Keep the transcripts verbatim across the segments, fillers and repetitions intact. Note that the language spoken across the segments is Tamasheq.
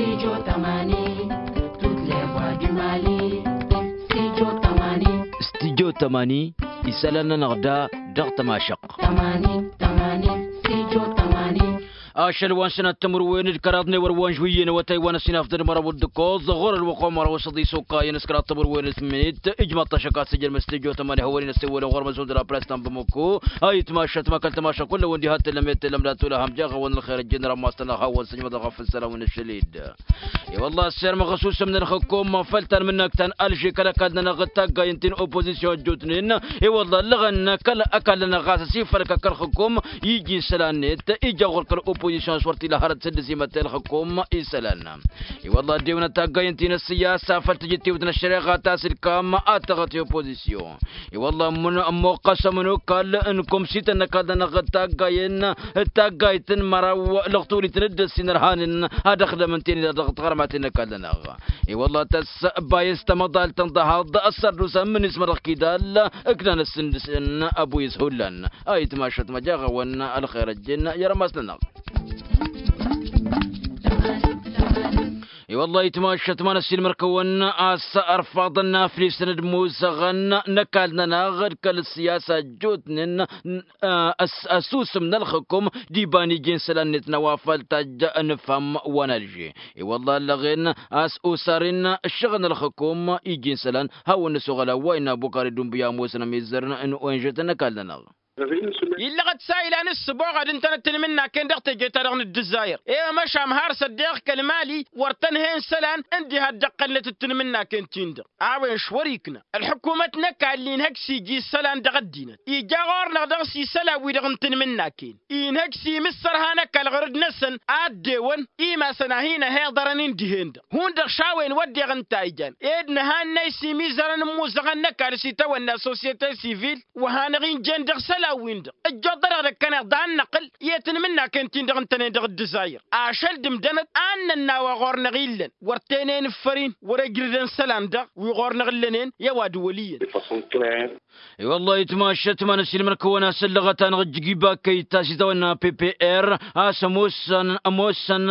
Studio tămani, toutes les voix du Mali. Studio tămani. Studio tămani, isălan-nănăɣ da dăɣ-tămašăqq. Tămani, tămani, studio tămani. Ašăl wa n-sănat timǝrwen d-kăraḍ n-ewăr wa n-žwǝyyen awătay wa n-ăsinafdăn măraw d-ǝkkoẓ ɣur-ălwăqq wa n-măraw s-ăḍis okayăn s-kăraḍ timǝrwen d-tǝmminit. Ijmaḍ-t ašăk a-s ǝjrǝm studio tămani hawăn-in-ăssewălăn ɣur-măzun d-raprăs ta n-bamăko. A itmašat ma kăl-tamašat kullăn wi n-diha tellăm i-tellăm d-atula ham jaɣ-awăn ălxer ăjjeen rămmas-tăn-ăɣ hawăn-sǝjmăḍ ăɣ-afǝssălăm n-ašăl-dd. I-wălla ăssirmăɣ ăsusǝm n-ălxǝkkum făll-tanmǝnnakt ta n-alže kăl-ăkall-nănăɣ d-taggayen ti n-opozisyon ăjjootnen. I-wălla ăllăɣăn kăl-ăkall-nănăɣ ɣas ăsifălkăk ălxǝkkum iji isălan-net ija ɣur-kăl-opozisyon a-s wăr t-ila hărăt s-dd-ăsimăttăy ălxǝkkum isălan. I-wălla ăddewăn taggayen ti n-ăssiyasa făll-tijǝttewt n-ăššăreɣa ta s-ǝlkam ad-tăɣăt i-opozisyon. I-wălla ămmuqqăs ămănokal n-komsităn n-ăkall-nănăɣ d-taggayen d-taggayt n-măraw lăɣtulit n-dd-ăssin ărhanen ad-ăxdămăn ten-i-dăɣ dăɣ-tiɣărmaten n-ăkall-nănăɣ. I-wălla tăsbayăs tamăḍalt tăn-dăhaḍ ăssărdusa n-mǝnismăr dăɣ-kidal ǝknan ăssǝndǝsăn ăboyǝs hullan. A itmašăt măjăɣ-awăn ălxer ăjjeen i-rămas-nănăɣ. I-wălla itmašăt ma n-ăssiilmăr-kăwăn a-s ărfaḍăn n-aflisăn d-imuzăɣăn n-ăkall-nănăɣ d-kăl-ăssiyasa ăjjootnen ăsusǝm n-ălxǝkkum d-iba n-iji n-isălan-net n-a-wa făl tajj ănǝfhăm wa n-alže. I-wălla ăllăɣen a-s osaren ǝššăɣǝl n-ălxǝkkum iji n-isălan hawăn-năsoɣăl a-wa innă abukar idunbǝy a ămoosăn ămizzărăn n-onžătăn n-ăkall-nănăɣ. Illăɣăt s-a ilan ǝssǝboɣăd ǝntănăt tinmǝnnaken dăɣ-teje-ta-dăɣ n-dd-ǝzzayăr i-măšan har s-ăddeɣ kăl-mali wăr tăn-hen isălan ǝndiha dd-ăqqălnăt d-tinmǝnnaken-tin-dăɣ. A-wen š-wăr-ikna ălḥukumăt n-ăkall inhăj s-iji isălan dăɣ-ăddinăt ija ɣur-năɣ dăɣ-s isălan-wi-dăɣ n-tinmǝnnaken. Inhăj s-imǝssărha n-ăkall ɣur-dd-năsăn a ăddewăn imasăn a hin-ăhiḍărăn-in dihen-dăɣ hundăɣ šawen wădden ǝnta a ijan ed nǝhannăy s-imizărăn n-imuzăɣăn n-ăkall s-itawănna sosyete sivil. Wa hanăɣ-injen dăɣ-isălan-win-dăɣ ǝjjoḍ-dăɣ dăɣ-năkkăneḍ d-ad-năqqǝl i-tinmǝnnaken-tin-dăɣ ǝntănen dăɣ-dd-ǝzzayăr. Ašăl d-imdănăt ad-nănna wa ɣur-năɣ illăn wăr tenen ǝffăr-in wăr-ejrǝdăn isălan-dăɣ wi ɣur-năɣ ǝllănen i-ăwadǝm wăl' iyyăn. I-wăllah itmašăt ma n-ăsiilmăr-kăwăn a-s ǝllăɣăt-anăɣ ǝjjǝg iba kăy-ta s-itawănna ppr a-s ămoosăn ămoosăn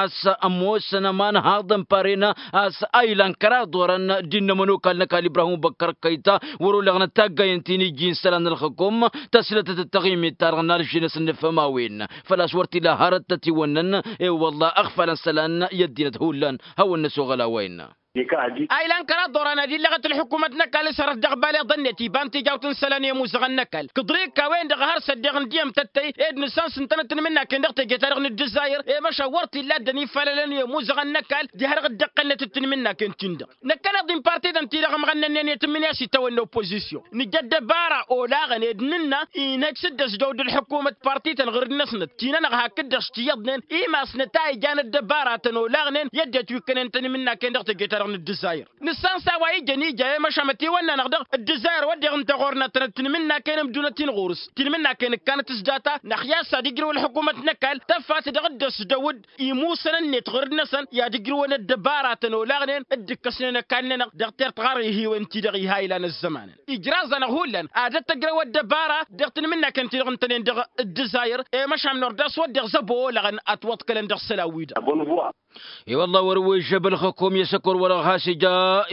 a-s ămoosăn ămanhaḍ n-paren a-s a ilan kăraḍ orăn d-innă ămănokal n-ăkall ibrahim băkkăr kăy-ta wăr-olăɣnăt taggayen ti n-iji n-isălan n-ălxǝkum. Tăslătăt d-taɣimit-ta-dăɣ n-alžinăs n-nǝfhăm a-wen făl-a-s wăr t-ila hărăt tătiwănnăn. I-wăllah ăɣfalăn isălan i-ăddinăt hullan hawăn-năsoɣăl a-wa innă. A ilan kăraḍ orăn ad-illăɣăt ălḥukumăt n-ăkall s-hărăt dăɣ-baleḍăn-net iba n-tijawt n-isălan i-imuzăɣăn n-ăkall kǝḍrika-wen-dăɣ a hărsa ăddeɣ n-diyyăm tăttăy ed nǝssan s-ǝntănăt tinmǝnnaken dăɣ-teje-ta-dăɣ n-dd-ǝzzayăr. I-măšan wăr t-illa ăddăn ifalălăn i-imuzăɣăn n-ăkall diha-dăɣ dd-ăqqălnăt d-tinmǝnnaken-tin-dăɣ. Năkkăneḍ-in partităn-ti-dăɣ ămɣănnănnen i-tǝmmǝnǝya s-itawănna opozisyon nǝja ăddăbara olaɣăn ed nǝnna inhăj s-dd-ăsdăw d-ălḥukumăt partităn ɣǝr-dd-năsnăt ti-nănăɣ hakd-dăɣ s-tiyyăḍnen imasnăt a ijan ăddăbaratăn olaɣnen i-ăddinăt wi ǝkkănen tinmǝnnaken dăɣ-teje-ta-dăɣ n-dd-ǝzzayăr. Nǝssan s-a-wa ijăn ija i-măšan ătiwănna-năɣ dăɣ-dd-ǝzzayăr wădden ǝnta ɣur-nătnăt tinmǝnnaken ǝmdunăt-in ɣur-s tinmǝnnaken ǝkkanăt s-data năxya s-ad-ǝjrǝw ălḥukumăt n-ăkall tăfat dăɣ-dd-ăsdăw-dd imusăn-net ɣur-năsăn i-ad-ǝjrǝwăn ăddăbaratăn olaɣnen dd-ǝkkăsnen ăkall-nănăɣ dăɣ-tertɣar ihiwen-ti-dăɣ iha ilan ăzzămanăn. Ijraẓ-anăɣ hullan ad-ăttăjrăw ăddăbara dăɣ-tinmǝnnaken-ti-dăɣ ǝntănen dăɣ-dd-ǝzzayăr. I-măšan n-ordas wădden zăbo olăɣăn ătwăḍkălăn dăɣ-isălan-wi-dăɣ. I-wăllah wăr-wi žăb ălxǝkum i-asăkor wăr-ăɣ has-ija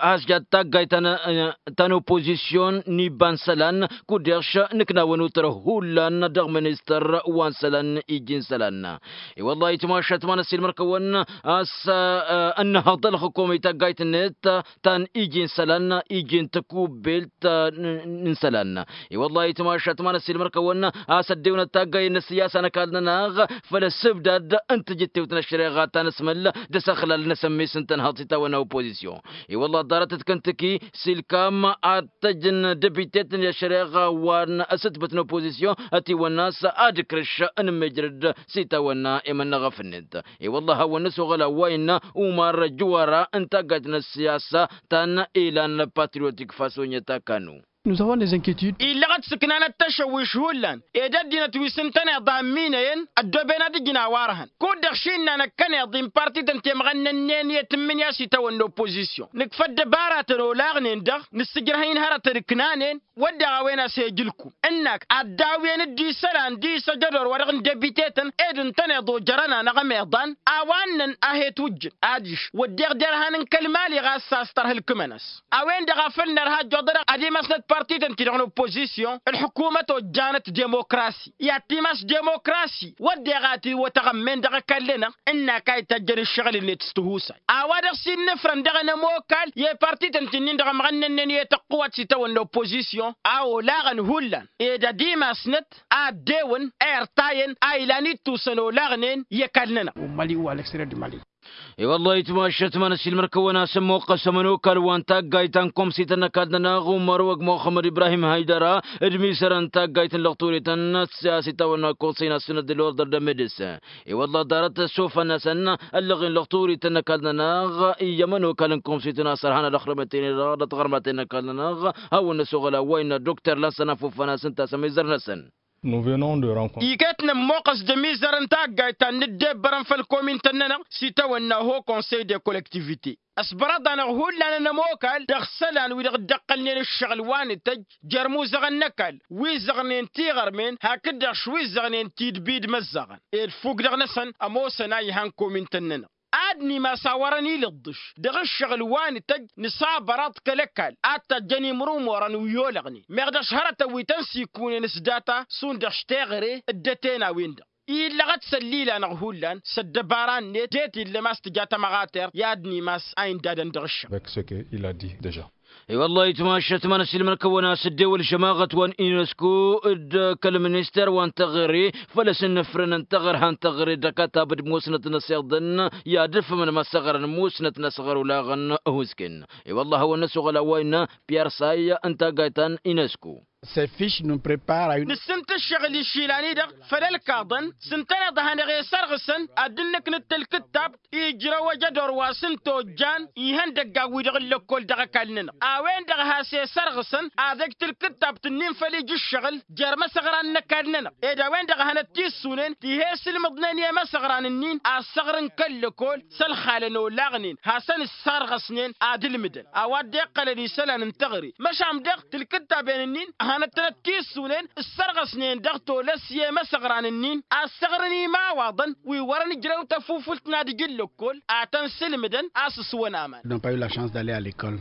has-ija d-taggayt ta n-opozisyon n-iba n-isălan. Kud-dăɣ nǝkna wăn utărăh hullan dăɣ-ministăr wa n-isălan iji n-isălan. I-wăllah itmašat ma n-ăssiilmăr-kăwăn a-s ănnăhăḍ ălxǝkum i-taggayt-net ta n-iji n-isălan iji n-tăkubbelt n-isălan. I-wăllah itmašat ma n-ăssiilmăr-kăwăn a-s ăddewăn d-taggayen n-ăssiyasa n-ăkall-nănăɣ făll-ăssǝbdad n-tijǝttewt n-ăššăreɣa ta n-asmăl d-asăxlal n-asămmis n-tănhăḍt s-itawănna opozisyon. I-wăllah ḍarăt d-kăntăki s-ilkam ad-tăjjăn dăbitet n-ăššăreɣa wa n-asǝtbǝt n-opozisyon ătiwănna a-s ad-ǝkrǝš n-mejrăd s-itawănna i-mănnăɣăf-net. I-wăllah hawăn-năsoɣăl a-wa innă umar jǝwara n-taggayt n-ăssiyasa ta n-ilan patriotik fasonyăt akanu. Nuzăwăn dezănketud. Illăɣăt s-ǝknanăt tăšăwwiš hullan ed ăddinăt wi s-ǝntăneḍ a ǝmminăyăn ăddooben ad-ǝjǝn a-wa ărhăn kud-dăɣ šinna năkkăneḍ-i n-parti-tăn temɣănnănnen i-tǝmmǝnǝya s-itawănna oppozisyon nǝkfa ăddăbaratăn olaɣnen-dăɣ nǝssǝjrăh-in hărătăn ǝknanen. Wădden a-wen a-s he-ǝjǝlkum ǝnnak ad-dawǝyăn dd-isălan d-isăjădor wa-dăɣ n-debitetăn ed ǝntăneḍ ojărăn-anăɣ ămeḍan a-wa ǝnnăn a he-twǝjjǝn adiš wădden derhan n-kăl-mali ɣas a-s tărha ǝlkǝmăn-as. A-wen-dăɣ a făl nărha ăjjoḍănăɣ ad-imasnăt parti-tăn-ti-dăɣ n-oppozisyon ǝlḥǝkumăt ojjanăt demokrasi i-ad-timas demokrasi wădden a itiwăt aɣămmen dăɣ-ăkall-nănăɣ ǝnnak a itajjăn ǝššăɣǝl-net s-tihusay. A-wa-dăɣ s-innǝfrăn dăɣ-enămokal i-parti-tăn-ti-nin-dăɣ ămɣănnănnen i-tăqqǝwat s-itawănna oppozisyon a olaɣăn hullan ed ad-imasnăt a ăddewăn a irtayăn a ilan ittusăn olaɣnen i-ăkall-nănăɣ. Mali u alexterier du mali. I-wăllah itmašăt ma n-ăsiilmăr-kăwăn-as ămmoqqăs ămănokal wa n-taggayt ta n-komsităn n-ăkall-nănăɣ umărwăg muxămmăd ibrahim haydăra d-mizărăn taggayt n-lăxturităn s-a-s itawănna konsăy n-asǝnăd d-lordăr d-amedis. I-wăllah ḍarăt s-ofăn-asăn ăllăɣen lăxturităn n-ăkall-nănăɣ i-ămănokal n-komsităn a-s ărhan ad-ăxrămăt-en-dăɣ dăɣ-taɣărmaten n-ăkall-nănăɣ hawăn-năsoɣăl a-wa innă dokter lansăn afofăn-asăn tasămizărnăsăn. Iket nămmoqqăs d-ămizărăn taggayt ta n-dd-ebbărăn făll-komintăn-nănăɣ s-itawănna ho konsăy de kollektivite. Ăsbărăḍ-anăɣ hullan ănămokal dăɣ-isălan wi-dăɣ dd-ăqqălnen ǝššăɣǝl wa n-ităjj jer-imuzăɣăn n-ăkall wi zăɣnen tiɣărmen hakd-dăɣ wi zăɣnen tidbi d-imăzzăɣăn ed fuk dăɣ-năsăn ămoosăn a ihan komintăn-nănăɣ. Ad-nimas a wărăn ilǝḍḍǝš dăɣ-ǝššăɣǝl wa n-ităjj nǝsabăraḍ kăl-ăkall ad-tajjăn imrumorăn wi olăɣnen meɣ dăɣ-s hărătăn wi tăn-sikunen s-data šund dăɣ-s teɣăre dd-ăten a-wen-dăɣ illăɣăt s-ăllilanăɣ hullan s-ăddăbara-net det illăm a-s tǝja tămăɣater i-ad-nimas a indadăn dăɣ-ǝššăɣ. Avec ce que il a dit deja. I-wăllah itmašăt ma n-ăsiilmăr-kăwăn a-s dd-ewăl žămaɣăt wa n-inesku d-kăl-minister wa n-teɣăre făl-s ǝnnǝfrǝnăn teɣăr han teɣăre d-ăkatab d-musnăt n-ăsiḍăn i-ad-ǝfhǝmăn măsăɣrăn musnăt n-asăɣăr olaɣăn. Husken i-wăllah a hawăn-năsoɣăl a-wa innă piyer say n-taggayt ta n-inesku. Săfiš nǝnprepar a-wen. Nǝssǝnt ǝššăɣǝl išilan-i-dăɣ făll-ălkaḍăn s-ǝntăneḍ a hanăɣ-e-sărɣǝsăn ad-dd-nǝknǝt tǝlkǝttab ijrăw ejădor wa s-ǝnta ojjan ihăndăggan-wi-dăɣ n-lăkkol dăɣ-ăkall-nănăɣ. A-wen-dăɣ has-e-sărɣǝsăn ad-ăj tǝlkǝttabt-ǝnnin făll-ija ǝššăɣǝl jer-imăsăɣran n-ăkall-nănăɣ ed a-wen-dăɣ a hanăt-tissunen ti he-sǝlmǝḍnen i-imăsăɣran-ǝnnin a ăssaɣrǝn kăl-lăkkol s-ălxalăn olaɣnen hasăn-ǝssarɣăsnen ad-ǝlmǝdăn a-wa dd-iqqălăn isălan n-teɣăre. Măšan dăɣ-tǝlkǝttaben-ǝnnin hanăt-tănăt-tissunen ǝssărɣăsnen dăɣ-tolăs i-imăsăɣran-ǝnnin a ăssaɣrǝn imawaḍăn wi wărăn ǝjrew tăfufult n-ad-ǝj n-lăkkol ad-tăn-sǝlmǝdăn a-s ǝswăn aman. N'ont pas eu la chance d'aller à l'école.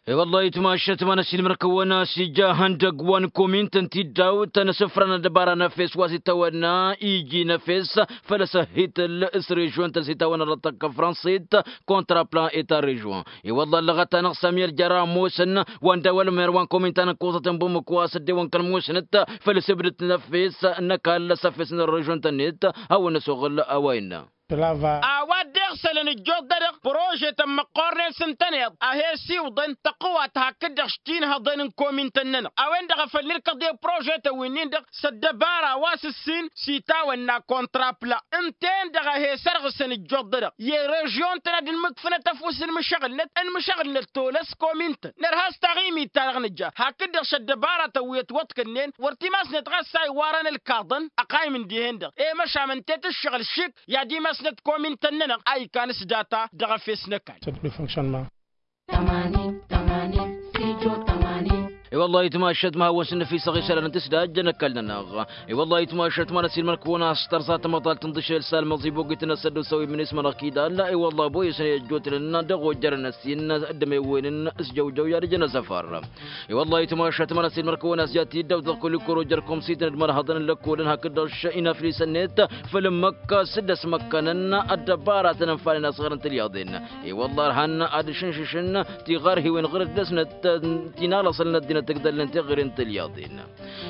I-wăllah itmašăt ma n-ăsiilmăr-kăwăn a-s ija ihăndăgg wa n-komintăn tiddawt n-asǝfran ăddăbara n-efes wa s-itawănna iji n-efes făll-asăhhităl s-režion-tăn s-itawănna dăɣ-tăkka fransit kontraplan eta režion. I-wăllah ăllăɣăt-anăɣ samiyăl jăr-a ămoosăn wa n-dawăl mer wa n-komintăn n-kuẓăt n-bumǝk wa s-ăddewăn kăl-musnăt făll-asǝbdǝt n-efes n-ăkall s-efes n-režion-tăn-net. Hawăn-năsoɣăl a-wa innă. A-wa dd-iɣsălăn ǝjjuḍ-dăɣ prožetăn măqqoornen s-ǝntăneḍ a he-siwǝḍăn tăqwat hakd-dăɣ s-tinhăḍen n-komintăn-nănăɣ a-wen-dăɣ a făl nǝlkăḍ i-prožetăn wi-nin-dăɣ s-ăddăbara wa s-ǝssin s-itawănna kontrapla. Ǝnta-en-dăɣ a he-sărɣǝsăn ǝjjuḍ-dăɣ i-režion-tăn ad-ǝnmǝkfǝnăt ăfuss n-imǝšăɣǝlnăt ănmǝšăɣǝlnăt tolăs komintăn nărha s-taɣimit-ta-dăɣ nǝja hakd-dăɣ s-ăddăbaratăn wi ătwăḍkănnen wăr timasnet ɣas a iwwarăn ălkaḍăn. Ăqaym ǝndihen-dăɣ i-măšan ǝnta i-tǝššăɣǝl šik i-ad-imasnăt komintăn-nănăɣ a ikan s-data dăɣ-efes n-ăkall. I-wăllah itmašăt ma hawăn-sǝnnăfisăɣ isălan n-tǝsdajjăn ăkall-nănăɣ. I-wăllah itmašăt ma n-ăsiilmăr-kăwăn a-s tărzat ămăḍal tǝnḍǝšel s-almăẓi bogit n-asăddosăw i-minismănăɣ kidal. I-wăllah boyăsăn i-ăjjootnen dăɣ-ojărăn ăssin d-ămewwen n-asjăwjăw i-ad-ǝjăn asăfar. I-wăllah itmašăt ma n-ăsiilmăr-kăwăn a-s ja tiddawt dăɣ-kăl-ikor ojăr komsităn d-imărhăḍăn n-lăkkolăn hakd-dăɣ inaflisăn-net făll-ǝmmǝk s-dd-ăsmăkkănăn ăddăbaratăn ănfanen asɣăr n-tilyaḍen. I-wăllah ărhan ad-ǝšǝnšǝšăn tiɣarhiwen ɣǝr-dd-dăsnăt ti n-alăṣăl n-ăddinăt ǝgdălnen teɣăre n-tilyaḍen.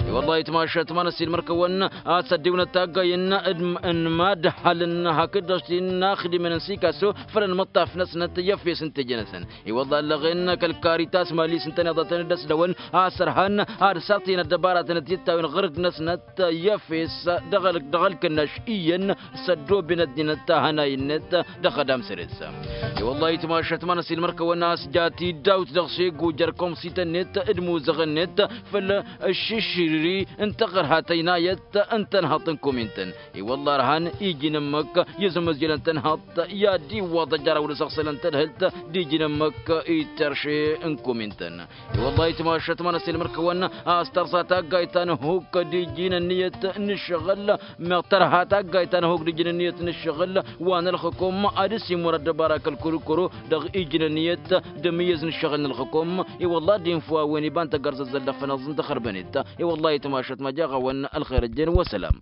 I-wăllah itmašăt ma n-ăssiilmăr-kăwăn ad-săddiwnăt taggay n-mad-ăhalăn hakd-dăɣ ti n-inaxdimen n-sikaso făll-ănmăṭṭaf-năsnăt i-efes n-teje-năsăn. I-wăllah ăllăɣen kăl-karitas mali s-ǝntăneḍătăn d-ăsdăwăn a-s ărhan ad-sărtǝyăn ăddăbaratăn d-tittawin ɣǝr-dd-năsnăt i-efes dăɣ-ălkănnaš iyyăn s-ăddooben ăddinăt ahănay-net dăɣ-xădam săr-s. I-wăllah itmašăt ma n-ăssiilmăr-kăwăn a-s ja tiddawt dăɣ-segu jer-komsităn-net d-muz dăɣ-net făll-aššǝšrǝri n-taɣărhat ăynayăt n-tănhăḍt n-komintăn. I-wălla ărhan iji n-ǝmmǝk i-azămăzjălăn tănhăḍt i-ad-iwwăḍ ăjraw d-asăɣsălăn tadhǝlt d-iji n-ǝmmǝk i-terše n-komintăn. I-wălla itmašăt ma n-ăssilmăr-kăwăn a-s tărsa taggayt ta n-ehuk d-iji n-ǝnniyăt n-ǝššăɣǝl. Meɣ tărha taggayt ta n-ehuk d-iji n-ǝnniyăt n-ǝššăɣǝl wa n-ălxǝkum ad-ăsimur ăddăbara kăl-kurkuru dăɣ-iji n-ǝnniyăt d-amǝyyăz n-ǝššăɣǝl n-ălxǝkum. I-wălla ad-infǝw a-wen iba n-tăggărzăzzăl dăɣ-fănaẓ n-taxărbănet. I-wălla itmašăt ma jaɣ-awăn ălxer ăjjeen wa sălam.